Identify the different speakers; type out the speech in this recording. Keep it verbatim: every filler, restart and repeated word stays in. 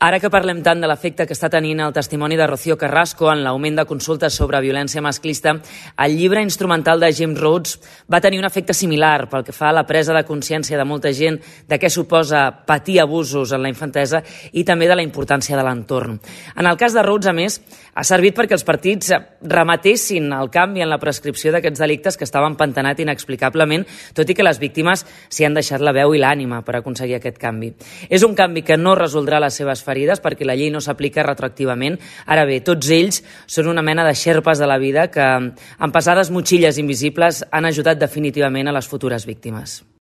Speaker 1: Ara que parlem tant de l'efecte que està tenint el testimoni de Rocío Carrasco en l'augment de consultes sobre violència masclista, el llibre instrumental de James Rhodes va tenir un efecte similar pel que fa a la presa de consciència de molta gent de què suposa patir abusos en la infantesa i també de la importància de l'entorn. En el cas de Rhodes, a més, ha servit perquè els partits remetessin el canvi en la prescripció d'aquests delictes que estaven empantanat inexplicablement, tot i que les víctimes s'hi han deixat la veu i l'ànima per aconseguir aquest canvi. És un canvi que no resoldrà les seves ferides perquè la llei no s'aplica retroactivament. Ara bé, tots ells són una mena de xerpes de la vida que, amb pesades motxilles invisibles, han ajudat definitivament a les futures víctimes.